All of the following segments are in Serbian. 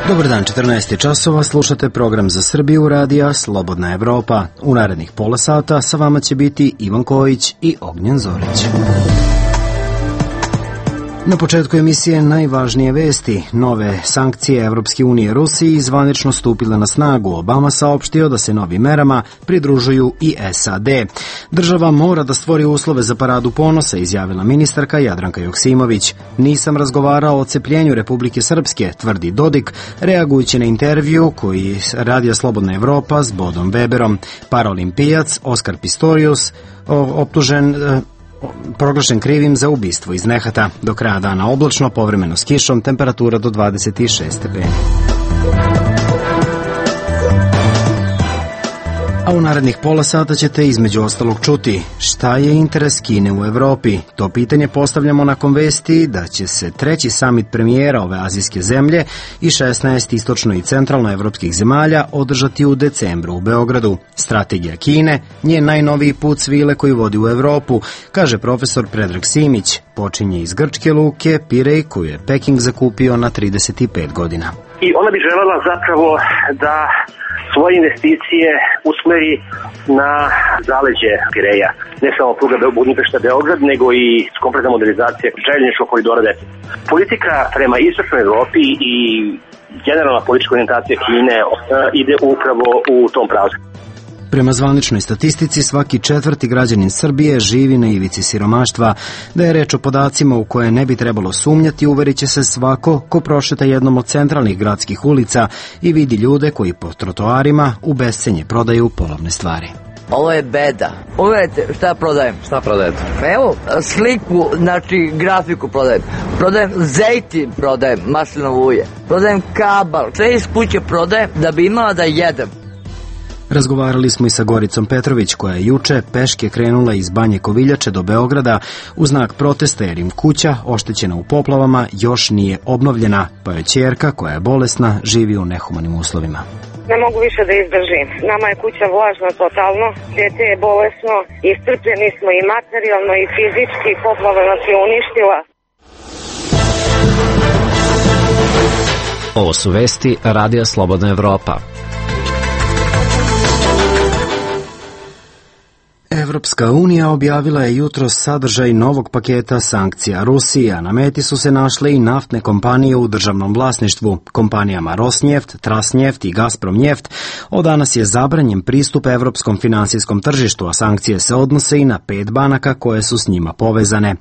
Dobar dan, 14 časova, slušate program za Srbiju radija Slobodna Evropa. U narednih pola sata sa vama će biti Ivan Kojić i Ognjen Zorić. Na početku emisije najvažnije vesti. Nove sankcije Evropske unije Rusiji zvanično stupile na snagu. Obama saopštio da se novim merama pridružuju i SAD. Država mora da stvori uslove za paradu ponosa, izjavila ministarka Jadranka Joksimović. Nisam razgovarao o odcepljenju Republike Srpske, tvrdi Dodik, reagujući na intervju koji radija Slobodna Evropa s Bodom Weberom. Paraolimpijac Oskar Pistorius proglašen krivim za ubistvo iz nehata. Do kraja dana oblačno, povremeno s kišom, temperatura do 26 stepeni. A u narednih pola sata ćete između ostalog čuti šta je interes Kine u Evropi. To pitanje postavljamo nakon vesti da će se treći samit premijera ove azijske zemlje i 16 istočno i centralno evropskih zemalja održati u decembru u Beogradu. Strategija Kine, njen najnoviji put svile koji vodi u Evropu, kaže profesor Predrag Simić. Počinje iz grčke luke Pirej koju je Peking zakupio na 35 godina. I ona bi želela zapravo da svoje investicije usmeri na zaleđe Pireja. Ne samo pruga Budimpešta-Beograd, nego i kompletna modernizacija željezničkog koridora 10. Politika prema istočnoj Evropi i generalna politička orijentacija Kine ide upravo u tom pravcu. Prema zvaničnoj statistici, svaki četvrti građanin Srbije živi na ivici siromaštva. Da je reč o podacima u koje ne bi trebalo sumnjati, uverit će se svako ko prošeta jednom od centralnih gradskih ulica i vidi ljude koji po trotoarima u bescenje prodaju polovne stvari. Ovo je beda. Uvijete šta prodajem? Šta prodajete? Evo, sliku, znači grafiku prodajem. Prodajem zejtin, prodajem maslinovo ulje. Prodajem kabal. Sve iz kuće prodajem da bi imala da jedem. Razgovarali smo i sa Goricom Petrović, koja je juče peške krenula iz Banje Koviljače do Beograda u znak protesta jer im kuća, oštećena u poplavama, još nije obnovljena, pa je ćerka, koja je bolesna, živi u nehumanim uslovima. Ne mogu više da izdržim. Nama je kuća vlažna totalno, dete je bolesno, iscrpljeni smo i materijalno i fizički, poplava nas je uništila. Ovo su vesti radija Slobodna Evropa. Evropska unija objavila je jutros sadržaj novog paketa sankcija Rusiji, a na meti su se našle i naftne kompanije u državnom vlasništvu. Kompanijama Rosneft, Transneft i Gazpromneft od danas je zabranjen pristup evropskom finansijskom tržištu, a sankcije se odnose i na 5 banaka koje su s njima povezane.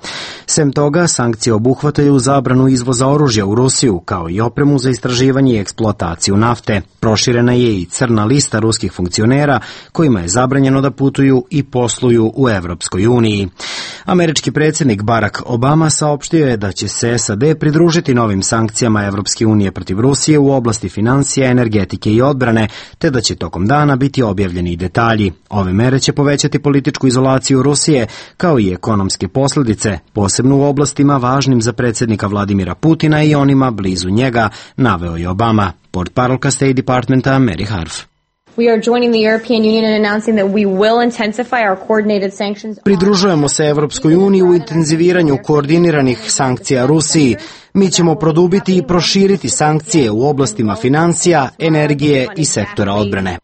Sem toga, sankcije obuhvataju zabranu izvoza oružja u Rusiju, kao i opremu za istraživanje i eksploataciju nafte. Proširena je i crna lista ruskih funkcionera kojima je zabranjeno da putuju i posluju u Evropskoj uniji. Američki predsjednik Barack Obama saopštio je da će se SAD pridružiti novim sankcijama Evropske unije protiv Rusije u oblasti financija, energetike i odbrane, te da će tokom dana biti objavljeni i detalji. Ove mere će povećati političku izolaciju Rusije, kao i ekonomske posljedice, posebno u oblastima važnim za predsjednika Vladimira Putina i onima blizu njega, naveo je Obama. Portparolka State Departmenta Mary Harf. Pridružujemo se Evropskoj uniji u intenziviranju koordiniranih sankcija Rusiji. Mi ćemo produbiti i proširiti sankcije u oblastima financija, energije i sektora odbrane.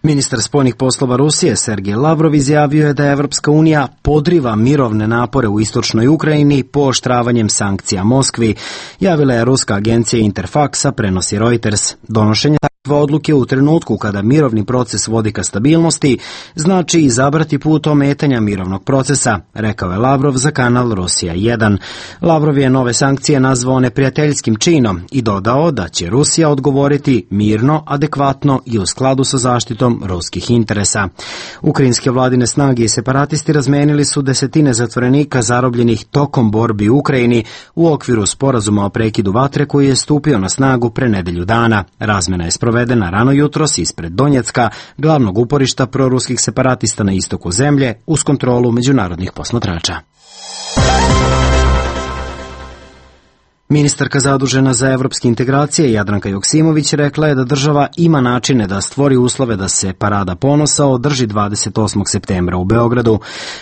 Ministar spoljnih poslova Rusije Sergej Lavrov izjavio je da Evropska unija podriva mirovne napore u istočnoj Ukrajini pooštravanjem sankcija Moskvi, javila je ruska agencija Interfax, prenosi Reuters. Donošenje takve odluke u trenutku kada mirovni proces vodi ka stabilnosti znači izabrati put ometanja mirovnog procesa, rekao je Lavrov za kanal Rusija 1. Lavrov je nove sankcije nazvao neprijateljskim činom i dodao da će Rusija odgovoriti mirno, adekvatno i u skladu sa zaštitom ruskih interesa. Ukrajinske vladine snage i separatisti razmenili su desetine zatvorenika zarobljenih tokom borbi u Ukrajini u okviru sporazuma o prekidu vatre koji je stupio na snagu pre nedelju dana. Razmena je sprovedena rano jutros ispred Donjecka, glavnog uporišta proruskih separatista na istoku zemlje, uz kontrolu međunarodnih posmatrača. Ministarka zadužena za evropske integracije Jadranka Joksimović rekla je da država ima načine da stvori uslove da se Parada ponosa održi 28. septembra u Beogradu.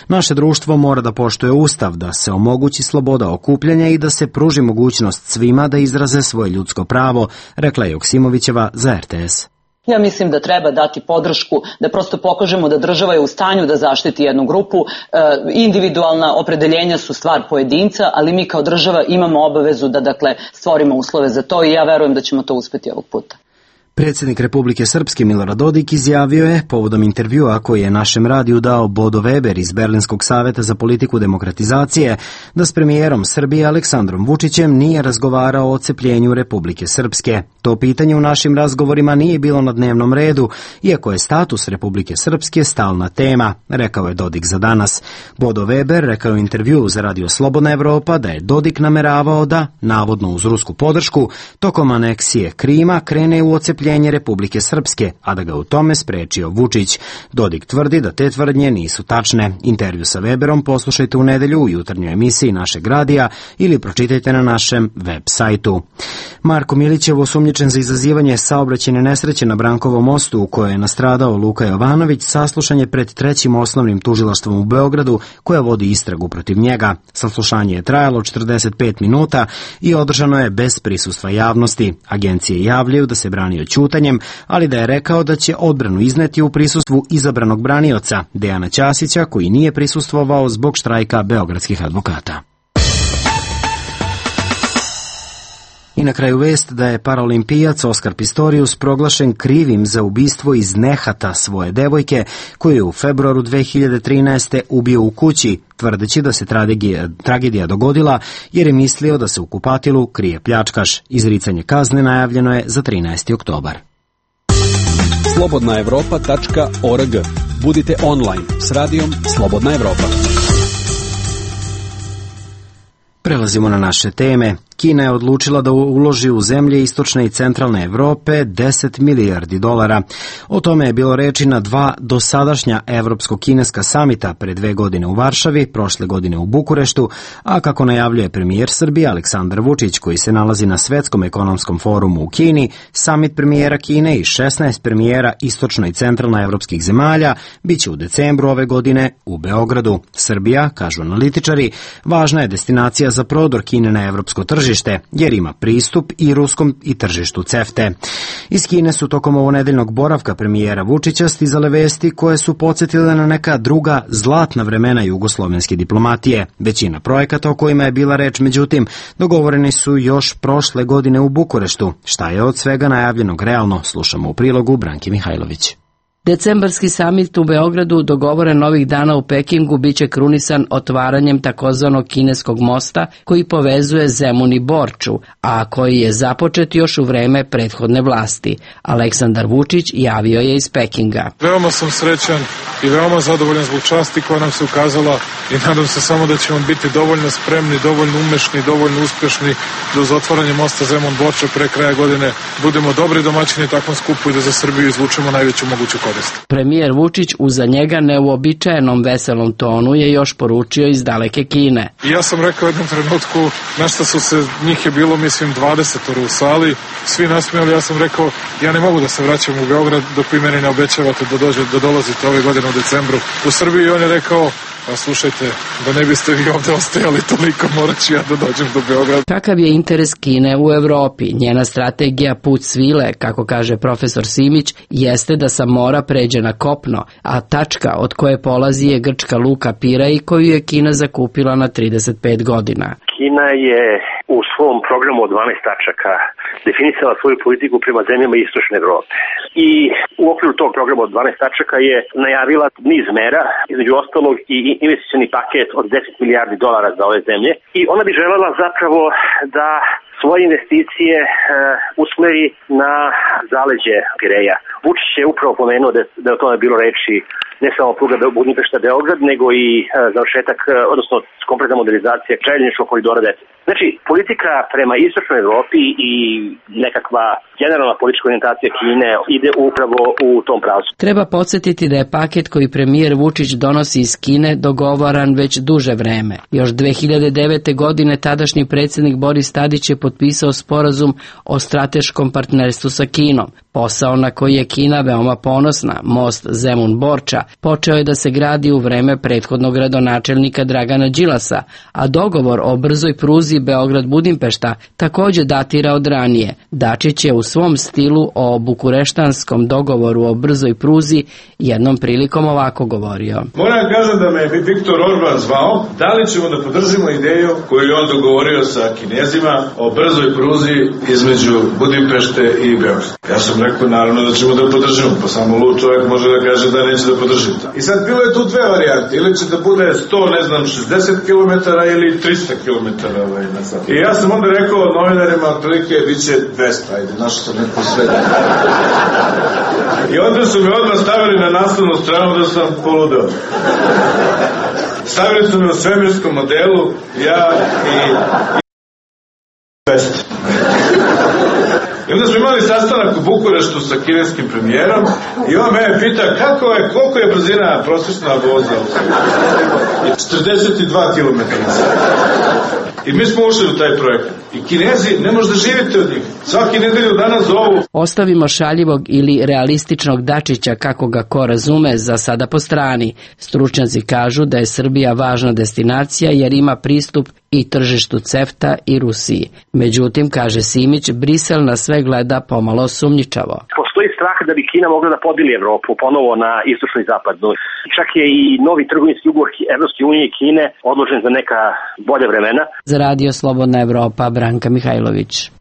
Naše društvo mora da poštuje Ustav, da se omogući sloboda okupljanja i da se pruži mogućnost svima da izraze svoje ljudsko pravo, rekla je Joksimovićeva za RTS. Ja mislim da treba dati podršku, da prosto pokažemo da država je u stanju da zaštiti jednu grupu. Individualna opredeljenja su stvar pojedinca, ali mi kao država imamo obavezu da stvorimo uslove za to i ja verujem da ćemo to uspeti ovog puta. Predsjednik Republike Srpske Milorad Dodik izjavio je, povodom intervjua koji je našem radiju dao Bodo Weber iz Berlinskog saveta za politiku demokratizacije, da s premijerom Srbije Aleksandrom Vučićem nije razgovarao o odcepljenju Republike Srpske. To pitanje u našim razgovorima nije bilo na dnevnom redu, iako je status Republike Srpske stalna tema, rekao je Dodik za Danas. Bodo Weber rekao u intervjuu za Radio Slobodna Evropa da je Dodik nameravao da, navodno uz rusku podršku, tokom aneksije Krima krene u odcepljenje Republike Srpske, a da ga u tome sprečio Vučić. Dodik tvrdi da te tvrdnje nisu tačne. Intervju sa Weberom poslušajte u nedelju u jutarnjoj emisiji našeg radija ili pročitajte na našem web sajtu. Marko Milićev, osumnjičen za izazivanje saobraćajne nesreće na Brankovom mostu u kojoj je nastradao Luka Jovanović, saslušan je pred Trećim osnovnim tužilaštvom u Beogradu koja vodi istragu protiv njega. Saslušanje je trajalo 45 minuta i održano je bez prisustva javnosti. Agencije javljaju da se branio ćutanjem, ali da je rekao da će odbranu izneti u prisustvu izabranog branioca, Dejana Ćasića, koji nije prisustvovao zbog štrajka beogradskih advokata. I na kraju vest da je paraolimpijac Oskar Pistorius proglašen krivim za ubistvo iz nehata svoje devojke koju je u februaru 2013. ubio u kući, tvrdeći da se tragedija dogodila jer je mislio da se u kupatilu krije pljačkaš. Izricanje kazne najavljeno je za 13. oktobar. Slobodnaevropa.org. Budite online s radijom Slobodna Evropa. Prelazimo na naše teme. Kina je odlučila da uloži u zemlje istočne i centralne Evrope $10 milijardi. O tome je bilo reči na 2 dosadašnja evropsko-kineska samita pre 2 godine u Varšavi, prošle godine u Bukureštu, a kako najavljuje premijer Srbije Aleksandar Vučić, koji se nalazi na Svetskom ekonomskom forumu u Kini, samit premijera Kine i 16 premijera istočno i centralno evropskih zemalja biće u decembru ove godine u Beogradu. Srbija, kažu analitičari, važna je destinacija za prodor Kine na evropsko tržište, jer ima pristup i ruskom i tržištu CEFTE. Iz Kine su tokom ovonedeljnog boravka premijera Vučića stizale vesti koje su podsjetile na neka druga zlatna vremena jugoslovenske diplomatije. Većina projekata o kojima je bila reč, međutim, dogovoreni su još prošle godine u Bukureštu. Šta je od svega najavljenog realno, slušamo u prilogu Branki Mihajlović. Decembarski samit u Beogradu, dogovoren ovih dana u Pekingu, biće krunisan otvaranjem takozvanog kineskog mosta koji povezuje Zemun i Borču, a koji je započet još u vreme prethodne vlasti. Aleksandar Vučić javio je iz Pekinga. Veoma sam srećan i veoma zadovoljan zbog časti koja nam se ukazala i nadam se samo da ćemo biti dovoljno spremni, dovoljno umešni, dovoljno uspešni da uz otvaranje mosta Zemun-Borča pre kraja godine budemo dobri domaćini takvom skupu i da za Srbiju izvučemo najveću moguću korist. Premijer Vučić u za njega neuobičajenom veselom tonu je još poručio iz daleke Kine. I ja sam rekao u jednom trenutku, našta su se, njih je bilo mislim 20 u sali, svi nasmijali, ja sam rekao, ja ne mogu da se vraćam u Beograd dok vi meni ne obećavate da dolazite ove godine u decembru u Srbiju. I on je rekao, pa slušajte, da ne biste vi ovde ostajali toliko, morat ću ja da dođem do Beograda. Kakav je interes Kine u Evropi? Njena strategija put svile, kako kaže profesor Simić, jeste da sa mora pređe na kopno, a tačka od koje polazi je grčka luka Piraj koju je Kina zakupila na 35 godina. Kina je u svom programu od 12 tačaka definisala svoju politiku prema zemljama istočne Evrope. I u okviru tog programa od 12 tačaka je najavila niz mera, između ostalog i investicioni paket od $10 milijardi za ove zemlje. I ona bi želela zapravo da svoje investicije usmeri na zaleđe Pireja. Vučić je upravo pomenuo da je o tome bilo reči ne samo pruga Budimpešta-Beograd, nego i završetak, odnosno kompletna modernizacija željezničkog koridora 10. Znači, politika prema istočnoj Evropi i nekakva generalna politička orijentacija Kine ide upravo u tom pravcu. Treba podsjetiti da je paket koji premijer Vučić donosi iz Kine dogovoran već duže vreme. Još 2009. godine tadašnji predsjednik Boris Tadić je potpisao sporazum o strateškom partnerstvu sa Kinom. Posao na koji je Kina veoma ponosna, most Zemun-Borča, počeo je da se gradi u vreme prethodnog gradonačelnika Dragana Đilasa, a dogovor o brzoj pruzi Beograd-Budimpešta također datira od ranije. Dačić je u svom stilu o bukureštanskom dogovoru o brzoj pruzi jednom prilikom ovako govorio. Moram kažem da me je Viktor Orban zvao, da li ćemo da podržimo ideju koju je on dogovorio sa Kinezima o brzoj pruzi između Budimpešte i Beograda. Ja sam rekao naravno da ćemo da podržimo, pa samo lud čovjek može da kaže da neće da podrži. I sad bilo je tu dve varijante, ili će da bude 60 km ili 300 km na sat. I ja sam onda rekao novinarima, otprilike bit će 200, ajde, našao sam neko sredo. I onda su me odmah stavili na naslovnu stranu da sam poludeo. Stavili su me u svemirskom modelu, ja i 200. I onda smo imali sastanak u Bukureštu sa kineskim premijerom i on mene pita koliko je brzina prosječna voza u Srbiji. 42 km. I mi smo ušli u taj projekat. I Kinezi ne može da živite od njih. Svaki nedelju danas zovu. Ostavimo šaljivog ili realističnog Dačića, kako ga ko razume, za sada po strani. Stručnjaci kažu da je Srbija važna destinacija jer ima pristup i tržištu CEFTA i Rusiji. Međutim, kaže Simić, Brisel na sve gleda pomalo sumnjičavo. Postoji strah da bi Kina mogla da podeli Evropu ponovo na istočnu i zapadnu. Čak je i novi trgovinski ugovor Evropske unije i Kine odložen za neka bolja vremena. Za Radio Slobodna Evropa, Branka Mihajlović.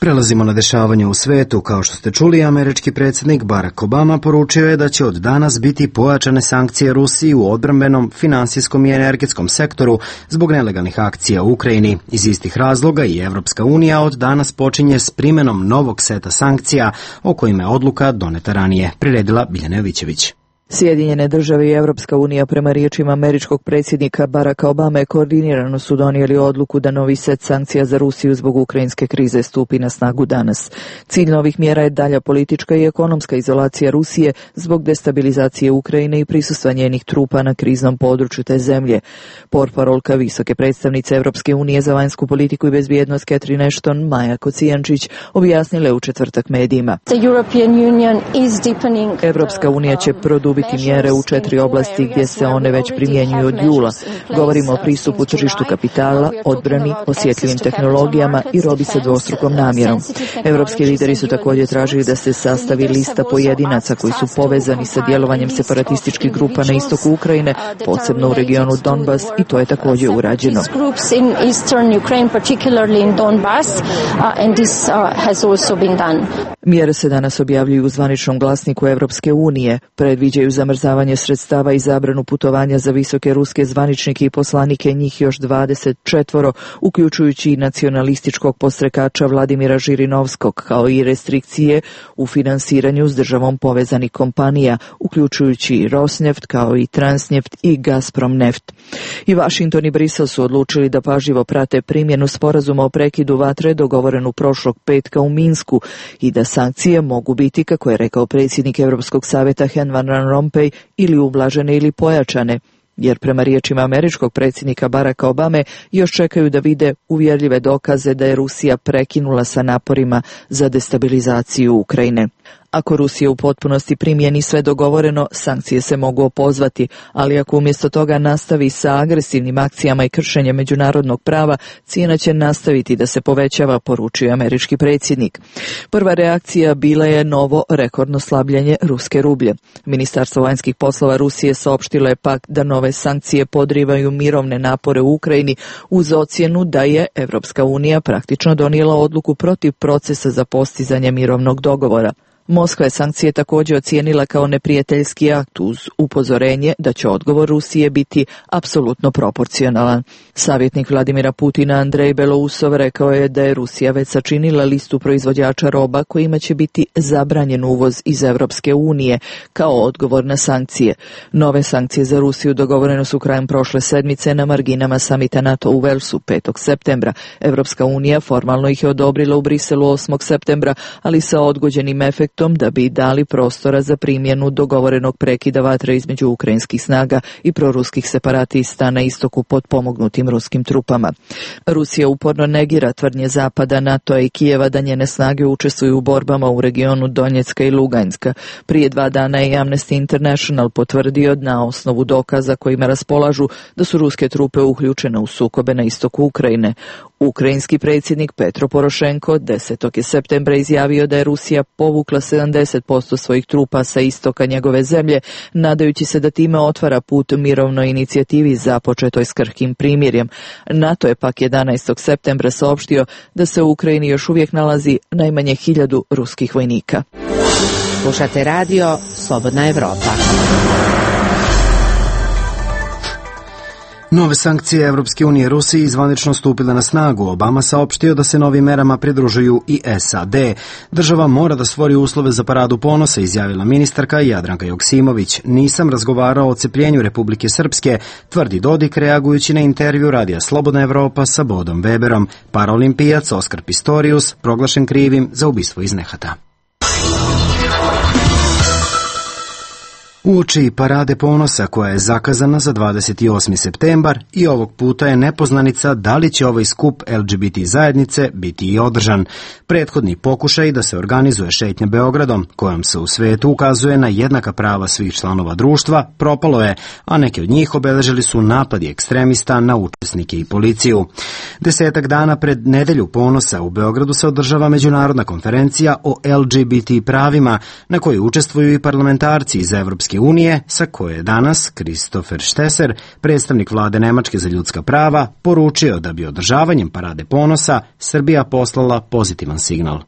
Prelazimo na dešavanje u svetu. Kao što ste čuli, američki predsjednik Barack Obama poručio je da će od danas biti pojačane sankcije Rusiji u odbrambenom, finansijskom i energetskom sektoru zbog nelegalnih akcija u Ukrajini. Iz istih razloga i Evropska unija od danas počinje s primjenom novog seta sankcija o kojima je odluka doneta ranije, priredila Biljana Jovićević. Sjedinjene države i Evropska unija prema riječima američkog predsjednika Baracka Obame koordinirano su donijeli odluku da novi set sankcija za Rusiju zbog ukrajinske krize stupi na snagu danas. Cilj novih mjera je dalja politička i ekonomska izolacija Rusije zbog destabilizacije Ukrajine i prisustva njenih trupa na kriznom području te zemlje. Portparolka visoke predstavnice Evropske unije za vanjsku politiku i bezbjednost Catherine Ashton, Maja Kocijančić, objasnile u četvrtak medijima. Evropska unija će produbiti mjere u 4 oblasti gdje se one već primjenjuju od jula. Govorimo o pristupu tržištu kapitala, odbrani, osjetljivim tehnologijama i robi sa dvostrukom namjerom. Evropski lideri su također tražili da se sastavi lista pojedinaca koji su povezani sa djelovanjem separatističkih grupa na istoku Ukrajine, posebno u regionu Donbas, i to je također urađeno. Mjere se danas objavljuju u zvaničnom glasniku Evropske unije, predviđaju zamrzavanje sredstava i zabranu putovanja za visoke ruske zvaničnike i poslanike, njih još 24, uključujući i nacionalističkog podstrekača Vladimira Žirinovskog, kao i restrikcije u finansiranju s državom povezanih kompanija, uključujući i Rosneft, kao i Transneft i Gazprom neft. I Washington i Brisel su odlučili da pažljivo prate primjenu sporazuma o prekidu vatre dogovorenu prošlog petka u Minsku i da sankcije mogu biti, kako je rekao predsjednik Europskog savjeta Herman Van Rompuy, ili ublažene ili pojačane, jer prema riječima američkog predsjednika Baracka Obame još čekaju da vide uvjerljive dokaze da je Rusija prekinula sa naporima za destabilizaciju Ukrajine. Ako Rusija u potpunosti primjeni sve dogovoreno, sankcije se mogu opozvati, ali ako umjesto toga nastavi sa agresivnim akcijama i kršenjem međunarodnog prava, cijena će nastaviti da se povećava, poručio američki predsjednik. Prva reakcija bila je novo rekordno slabljenje ruske rublje. Ministarstvo vanjskih poslova Rusije saopštilo je pak da nove sankcije podrivaju mirovne napore u Ukrajini uz ocjenu da je Evropska unija praktično donijela odluku protiv procesa za postizanje mirovnog dogovora. Moskva je sankcije također ocijenila kao neprijateljski akt uz upozorenje da će odgovor Rusije biti apsolutno proporcionalan. Savjetnik Vladimira Putina Andrej Belousov rekao je da je Rusija već sačinila listu proizvođača roba kojima će biti zabranjen uvoz iz Evropske unije kao odgovor na sankcije. Nove sankcije za Rusiju dogovorene su krajem prošle sedmice na marginama samita NATO u Velsu 5. septembra. Evropska unija formalno ih je odobrila u Briselu 8. septembra, ali sa odgođenim efektom da bi dali prostora za primjenu dogovorenog prekida vatre između ukrajinskih snaga i proruskih separatista na istoku pod pomognutim ruskim trupama. Rusija uporno negira tvrdnje Zapada, NATO i Kijeva da njene snage učestvuju u borbama u regionu Donjecka i Luganjska. Prije 2 dana je Amnesty International potvrdio na osnovu dokaza kojima raspolažu da su ruske trupe uključene u sukobe na istoku Ukrajine. Ukrajinski predsjednik Petro Porošenko 10. septembra izjavio da je Rusija povukla 70% svojih trupa sa istoka njegove zemlje, nadajući se da time otvara put mirovnoj inicijativi započetoj s krhkim primirjem. NATO je pak 11. septembra saopštio da se u Ukrajini još uvijek nalazi najmanje 1000 ruskih vojnika. Slušate radio Slobodna Evropa. Nove sankcije Evropske unije Rusiji zvanično stupile na snagu. Obama saopštio da se novim merama pridružuju i SAD. Država mora da stvori uslove za paradu ponosa, izjavila ministarka Jadranka Joksimović. Nisam razgovarao o odcepljenju Republike Srpske, tvrdi Dodik reagujući na intervju radija Slobodna Evropa sa Bodom Weberom. Paraolimpijac Oskar Pistorius proglašen krivim za ubistvo iz nehata. Uoči parade ponosa koja je zakazana za 28. septembar i ovog puta je nepoznanica da li će ovaj skup LGBT zajednice biti i održan. Prethodni pokušaj da se organizuje šetnja Beogradom, kojom se u svetu ukazuje na jednaka prava svih članova društva, propalo je, a neke od njih obeležili su napadi ekstremista na učesnike i policiju. 10 dana pred nedelju ponosa u Beogradu se održava međunarodna konferencija o LGBT pravima, na kojoj učestvuju i parlamentarci iz Evropske unije, sa koje je danas Christopher Stesser, predstavnik vlade Nemačke za ljudska prava, poručio da bi održavanjem parade ponosa Srbija poslala pozitivan signal.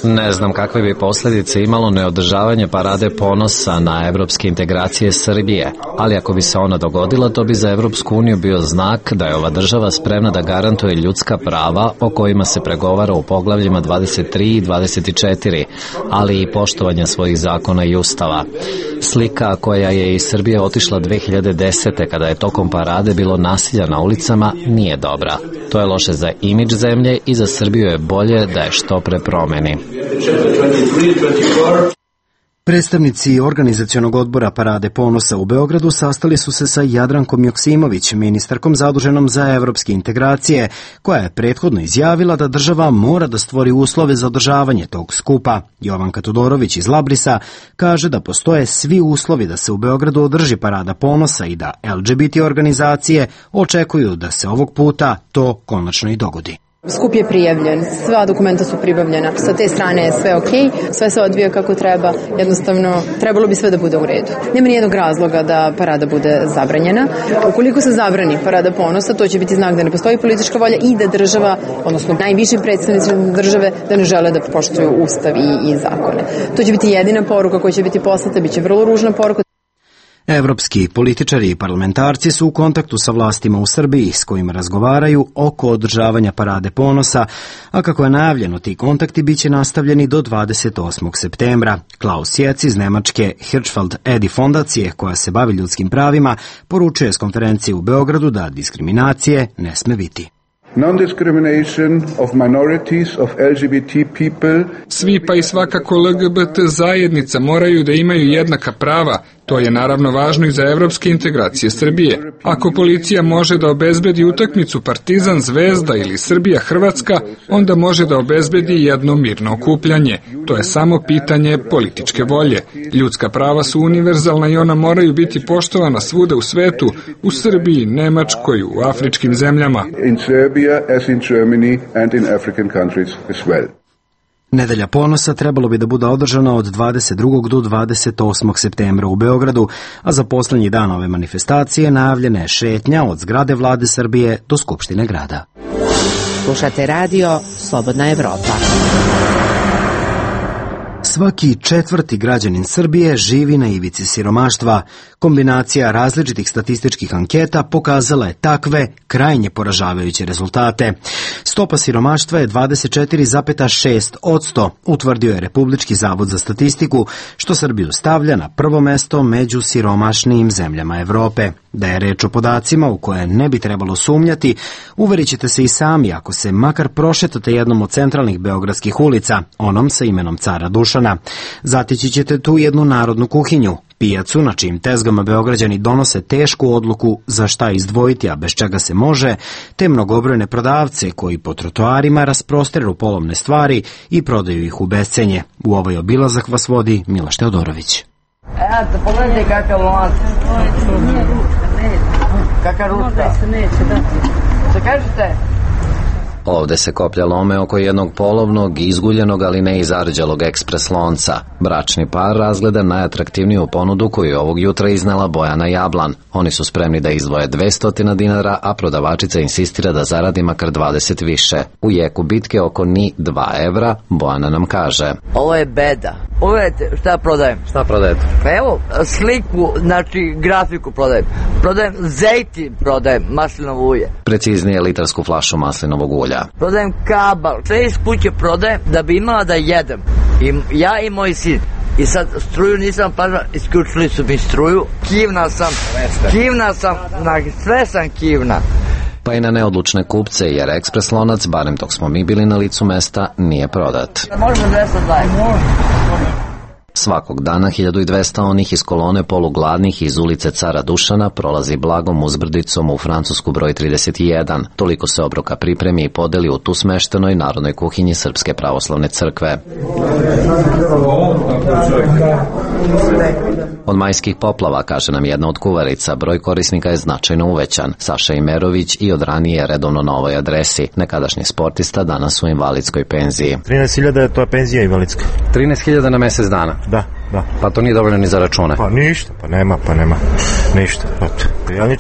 Ne znam kakve bi posljedice imalo neodržavanje parade ponosa na evropske integracije Srbije, ali ako bi se ona dogodila, to bi za Evropsku uniju bio znak da je ova država spremna da garantuje ljudska prava o kojima se pregovara u poglavljima 23 i 24, ali i poštovanja svojih zakona i ustava. Slika koja je iz Srbije otišla 2010. kada je tokom parade bilo nasilja na ulicama nije dobra. To je loše za imidž zemlje i za Srbiju je bolje da je što pre promeni. Predstavnici organizacionog odbora Parade ponosa u Beogradu sastali su se sa Jadrankom Joksimović, ministarkom zaduženom za evropske integracije, koja je prethodno izjavila da država mora da stvori uslove za održavanje tog skupa. Jovanka Todorović iz Labrisa kaže da postoje svi uslovi da se u Beogradu održi Parada ponosa i da LGBT organizacije očekuju da se ovog puta to konačno i dogodi. Skup je prijavljen, sva dokumenta su pribavljena, sa te strane je sve okej, sve se odvija kako treba, jednostavno trebalo bi sve da bude u redu. Nema nijednog razloga da parada bude zabranjena. Ukoliko se zabrani Parada ponosa, to će biti znak da ne postoji politička volja i da država, odnosno najviši predstavnici države, da ne žele da poštuju ustav i zakone. To će biti jedina poruka koja će biti poslata, bit će vrlo ružna poruka. Evropski političari i parlamentarci su u kontaktu sa vlastima u Srbiji s kojima razgovaraju oko održavanja Parade ponosa, a kako je najavljeno, ti kontakti biće nastavljeni do 28. septembra. Klaus Jec iz Nemačke Hirschfeld Edi fondacije, koja se bavi ljudskim pravima, poručuje s konferencije u Beogradu da diskriminacije ne sme biti. Non-discrimination of minorities, of LGBT people. Svi pa i svakako LGBT zajednica moraju da imaju jednaka prava. To je naravno važno i za evropske integracije Srbije. Ako policija može da obezbedi utakmicu Partizan Zvezda ili Srbija Hrvatska, onda može da obezbedi jedno mirno okupljanje. To je samo pitanje političke volje. Ljudska prava su univerzalna i ona moraju biti poštovana svuda u svetu, u Srbiji, Nemačkoj, u afričkim zemljama. In Serbia as in Germany and in African countries as well. Nedelja ponosa trebalo bi da bude održana od 22. do 28. septembra u Beogradu, a za poslednji dan ove manifestacije najavljena je šetnja od zgrade vlade Srbije do Skupštine grada. Slušate radio Slobodna Evropa. Svaki četvrti građanin Srbije živi na ivici siromaštva. Kombinacija različitih statističkih anketa pokazala je takve krajnje poražavajuće rezultate. Stopa siromaštva je 24,6%, utvrdio je Republički zavod za statistiku, što Srbiju stavlja na prvo mesto među siromašnijim zemljama Evrope. Da je reč o podacima u koje ne bi trebalo sumnjati, uverit ćete se i sami ako se makar prošetate jednom od centralnih beogradskih ulica, onom sa imenom Cara Dušana. Zatići ćete tu jednu narodnu kuhinju, pijacu na čijim tezgama Beograđani donose tešku odluku za šta izdvojiti, a bez čega se može, te mnogobrojne prodavce koji po trotoarima rasprosteru polovne stvari i prodaju ih u bescenje. U ovaj obilazak vas vodi Miloš Teodorović. Eto, pogledajte kakav lanac. Kaka ručka. Što kažete? Ovde se koplja lome oko jednog polovnog, izguljenog, ali ne izarđalog ekspres lonca. Bračni par razgleda najatraktivniju ponudu koju je ovog jutra iznela Bojana Jablan. Oni su spremni da izdvoje 200 dinara, a prodavačica insistira da zaradi makar 20 više. U jeku bitke oko ni 2 evra, Bojana nam kaže: Ovo je beda. Pogledajte šta prodajem. Šta prodajete? Pa evo, sliku, znači grafiku prodajem. Prodajem zejtin, prodajem maslinovo ulje. Preciznije litarsku flašu maslinovog ulja. Prodajem kabal. Sve iz kuće prodajem da bi imala da jedem. Ja i moj sin. I sad struju nisam pažao, isključili su mi struju. Kivna sam, sve sam kivna. Pa i na neodlučne kupce, jer ekspres lonac, barem dok smo mi bili na licu mesta, nije prodat. Možemo 220. Svakog dana 1200 onih iz kolone polugladnih iz ulice Cara Dušana prolazi blagom uzbrdicom u Francusku broj 31. Toliko se obroka pripremi i podeli u tu smeštenoj narodnoj kuhinji Srpske pravoslavne crkve. Od majskih poplava, kaže nam jedna od kuvarica, broj korisnika je značajno uvećan. Saša Imerović i od ranije redovno na ovoj adresi. Nekadašnji sportista danas u invalidskoj penziji. 13.000 je to penzija invalidska. 13.000 na mesec dana? Da. Pa to nije dovoljno ni za račune? Pa ništa, nema ništa.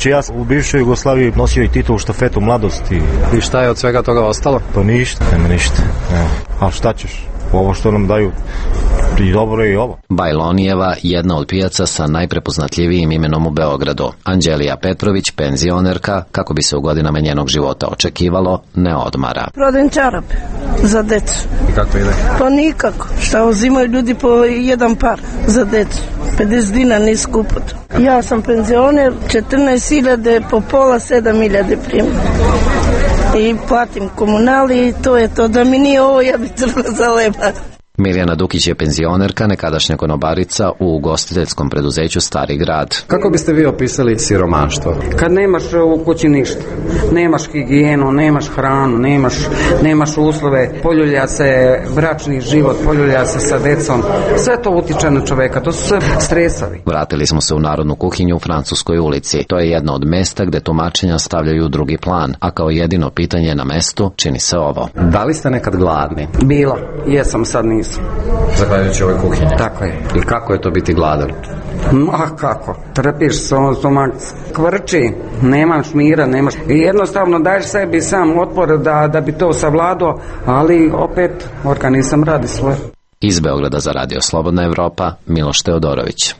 Ja u bivšoj Jugoslaviji nosio i titulu štafetu mladosti. I šta je od svega toga ostalo? Pa ništa, nema ništa. A šta ćeš? Ovo što nam daju i dobro je i ovo. Bajlonijeva, jedna od pijaca sa najprepoznatljivijim imenom u Beogradu. Anđelija Petrović, penzionerka, kako bi se u godinama njenog života očekivalo, ne odmara. Prodajem čarape za decu. I kako ide? Pa nikako. Šta uzimaju ljudi po jedan par za decu. 50 dinara nije skupo to. Ja sam penzioner, 14.000 po pola, 7.000 primam. I platim komunali i to je to. Da mi nije ovo, ja bi trebala zaleba. Mirjana Dukić je penzionerka, nekadašnja konobarica u ugostiteljskom preduzeću Stari grad. Kako biste vi opisali siromaštvo? Kad nemaš u kući ništa, nemaš higijenu, nemaš hranu, nemaš uslove, poljulja se bračni život, poljulja se sa decom, sve to utiče na čoveka, to su sve stresovi. Vratili smo se u narodnu kuhinju u Francuskoj ulici. To je jedno od mesta gde tumačenja stavljaju u drugi plan, a kao jedino pitanje na mestu čini se ovo. Da li ste nekad gladni? Bila, jesam, sad nisam. Zahvaljujući ovoj kuhinji. Tako je. I kako je to biti gladan? A kako? Trpiš stomak, kvrči, nemaš mira, i jednostavno daješ sebi sam otpor da bi to savladao, ali opet organizam radi svoje. Iz Beograda za Radio Slobodna Evropa, Miloš Teodorović.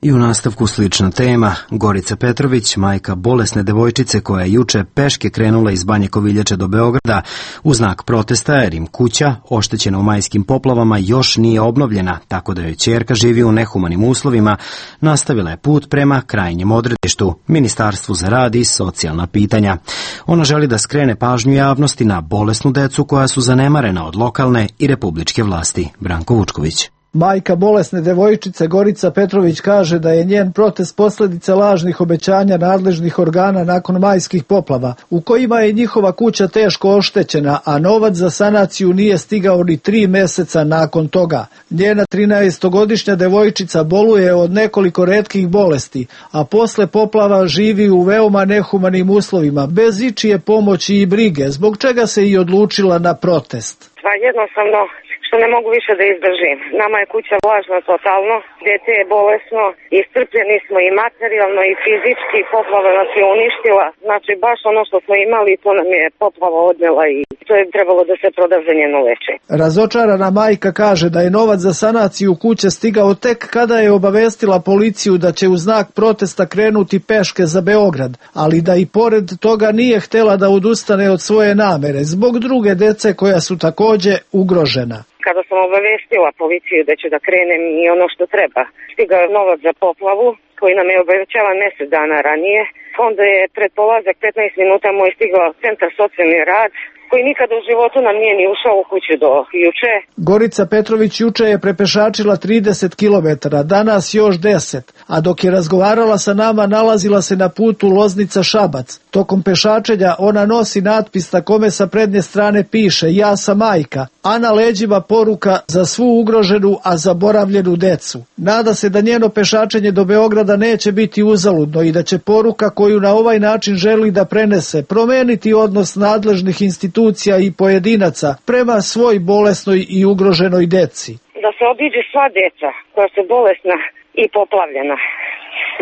I u nastavku slična tema. Gorica Petrović, majka bolesne devojčice koja je juče peške krenula iz Banje Koviljače do Beograda u znak protesta jer im kuća, oštećena u majskim poplavama, još nije obnovljena, tako da joj ćerka živi u nehumanim uslovima, nastavila je put prema krajnjem odredištu, Ministarstvu za rad i socijalna pitanja. Ona želi da skrene pažnju javnosti na bolesnu decu koja su zanemarena od lokalne i republičke vlasti. Branko Vučković. Majka bolesne devojčice Gorica Petrović kaže da je njen protest posljedica lažnih obećanja nadležnih organa nakon majskih poplava, u kojima je njihova kuća teško oštećena, a novac za sanaciju nije stigao ni 3 meseca nakon toga. Njena 13-godišnja devojčica boluje od nekoliko retkih bolesti, a posle poplava živi u veoma nehumanim uslovima, bez ičije pomoći i brige, zbog čega se i odlučila na protest. Pa jednostavno što ne mogu više da izdržim. Nama je kuća vlažna totalno, dete je bolesno, iscrpljeni smo i materijalno i fizički, poplava nas je uništila. Znači baš ono što smo imali, to nam je poplava odnela i to je trebalo da se proda za njeno lečenje. Razočarana majka kaže da je novac za sanaciju kuće stigao tek kada je obavestila policiju da će u znak protesta krenuti peške za Beograd, ali da i pored toga nije htela da odustane od svoje namere zbog druge dece koja su takođe ugrožena. Kada sam obavestila policiju da ću da krenem i ono što treba, stigao je novac za poplavu koji nam je obećavan mjesec dana ranije. Onda je pred polazak 15 minuta moj stigao centar socijalni rad, koji nikada u životu nam nije ni ušao u kuću do juče. Gorica Petrović juče je prepešačila 30 km, danas još 10, a dok je razgovarala sa nama nalazila se na putu Loznica-Šabac. Tokom pešačenja ona nosi natpis na kome sa prednje strane piše "Ja sam majka", a na leđima poruka "Za svu ugroženu, a zaboravljenu decu". Nada se da njeno pešačenje do Beograda neće biti uzaludno i da će poruka koju na ovaj način želi da prenese promeniti odnos nadležnih institucija i pojedinaca prema svoj bolesnoj i ugroženoj deci. Da se obiđe sva deca koja su bolesna i poplavljena.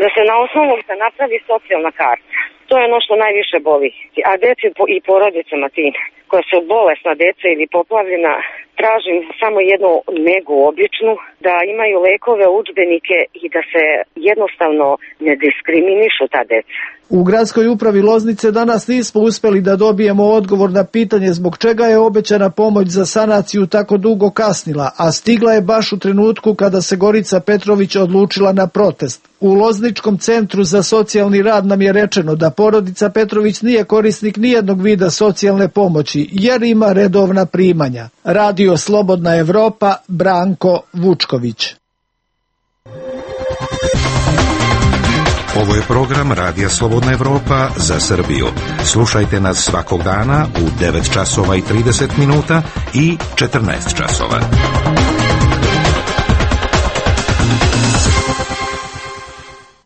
Da se na osnovu se napravi socijalna karta. To je ono što najviše boli. A deci i porodicama tim koja su bolesna deca ili poplavljena, tražim samo jednu negu običnu, da imaju lekove, udžbenike i da se jednostavno ne diskriminišu ta deca. U gradskoj upravi Loznice danas nismo uspeli da dobijemo odgovor na pitanje zbog čega je obećana pomoć za sanaciju tako dugo kasnila, a stigla je baš u trenutku kada se Gorica Petrović odlučila na protest. U Lozničkom centru za socijalni rad nam je rečeno da porodica Petrović nije korisnik nijednog vida socijalne pomoći, jer ima redovna primanja. Radio Slobodna Evropa, Branko Vučković. Ovo je program Radija Slobodna Evropa za Srbiju. Slušajte nas svakog dana u 9 časova i 30 minuta i 14 časova.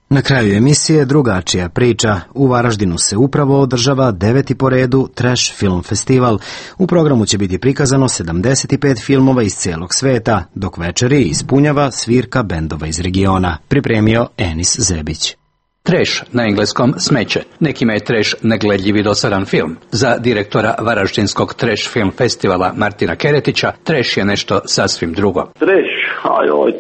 Na kraju emisije drugačija priča. U Varaždinu se upravo održava 9. po redu Trash Film Festival. U programu će biti prikazano 75 filmova iz cijelog sveta, dok večeri ispunjava svirka bendova iz regiona. Pripremio Enis Zebić. Trash, na engleskom smeće. Nekima je trash negledljiv i dosadan film. Za direktora Varaždinskog Trash Film Festivala Martina Keretića, trash je nešto sasvim drugo. Trash,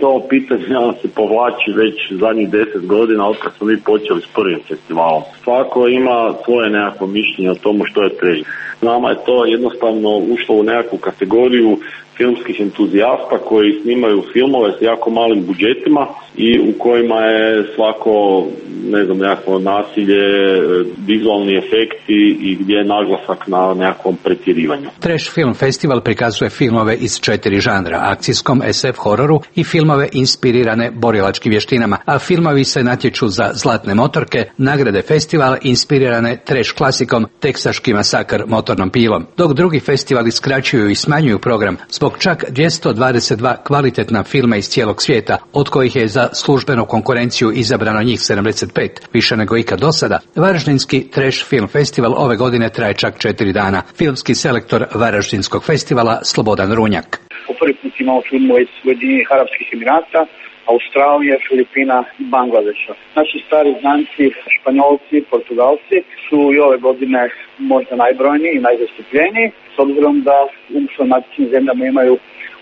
to pitanje se povlači već zadnjih 10 godina od kad smo mi počeli s prvim festivalom. Svako ima svoje nekako mišljenje o tomu što je trash. Nama je to jednostavno ušlo u nekakvu kategoriju filmskih entuzijasta koji snimaju filmove s jako malim budžetima i u kojima je svako, nekako nasilje, vizualni efekti i gdje je naglasak na nekakvom pretjerivanju. Trash Film Festival prikazuje filmove iz 4 žanra, akcijskom, SF hororu i filmove inspirirane borilačkim vještinama, a filmovi se natječu za zlatne motorke, nagrade festivala inspirirane trash klasikom Teksaški masakr motornom pilom, dok drugi festivali skraćuju i smanjuju program zbog čak 222 kvalitetna filma iz cijelog svijeta, od kojih je za službenu konkurenciju izabrano njih 75, više nego ikad do sada. Varaždinski Trash Film Festival ove godine traje čak 4 dana. Filmski selektor Varaždinskog festivala Slobodan Runjak. Po prvi put imamo filmove iz Ujedinjenih Arapskih Emirata, Australije, Filipina i Bangladeša. Naši stari znanci, Španjolci, Portugalci su i ove godine možda najbrojniji i najzastupljeniji, s obzirom da u matičnim zemljama imaju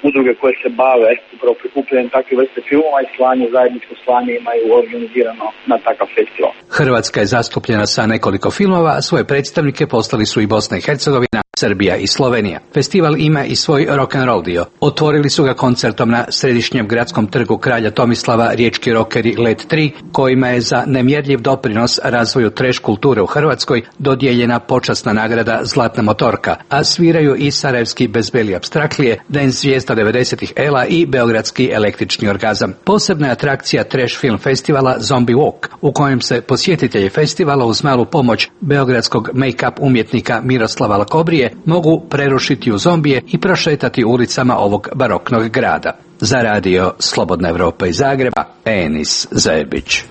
udruge koje se bave upravo prikupljanjem takve vrste filmova i zajedničko slanje imaju organizirano na takav festival. Hrvatska je zastupljena sa nekoliko filmova, a svoje predstavnike poslali su i Bosna i Hercegovina, Srbija i Slovenija. Festival ima i svoj rock'n'roll dio. Otvorili su ga koncertom na središnjem gradskom trgu Kralja Tomislava riječki rockeri Let 3, kojima je za nemjerljiv doprinos razvoju trash kulture u Hrvatskoj dodijeljena počasna nagrada Zlatna motorka, a sviraju i sarajevski Bezbeli apstraklije, Dance zvijezda 90-ih Ela i beogradski Električni orgazam. Posebna je atrakcija Trash Film Festivala Zombie Walk, u kojem se posjetitelji festivala uz malu pomoć beogradskog make-up umjetnika Miroslava Lakobrije mogu prerušiti u zombije i prošetati ulicama ovog baroknog grada. Za radio Slobodna Evropa iz Zagreba, Enis Zebić.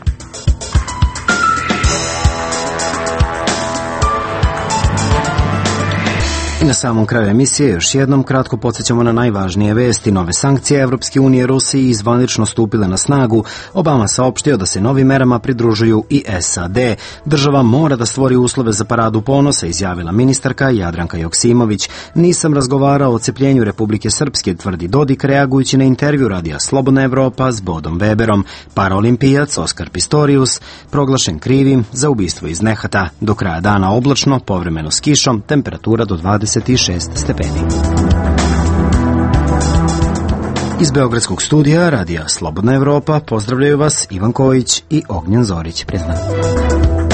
na samom kraju emisije još jednom kratko podsjećamo na najvažnije vesti. Nove sankcije Evropske unije Rusiji zvanično stupile na snagu. Obama saopštio da se novim merama pridružuju i SAD. Država mora da stvori uslove za paradu ponosa, izjavila ministarka Jadranka Joksimović. Nisam razgovarao o cepljenju Republike Srpske, tvrdi Dodik, reagujući na intervju radija Slobodna Evropa s Bodom Weberom. Paraolimpijac Oskar Pistorius proglašen krivim za ubistvo iz nehata. Do kraja dana oblačno, povremeno s kišom, temperatura do 26 stepeni. Iz Beogradskog studija radija Slobodna Evropa pozdravljaju vas Ivan Kojić i Ognjen Zorić. Prijatno.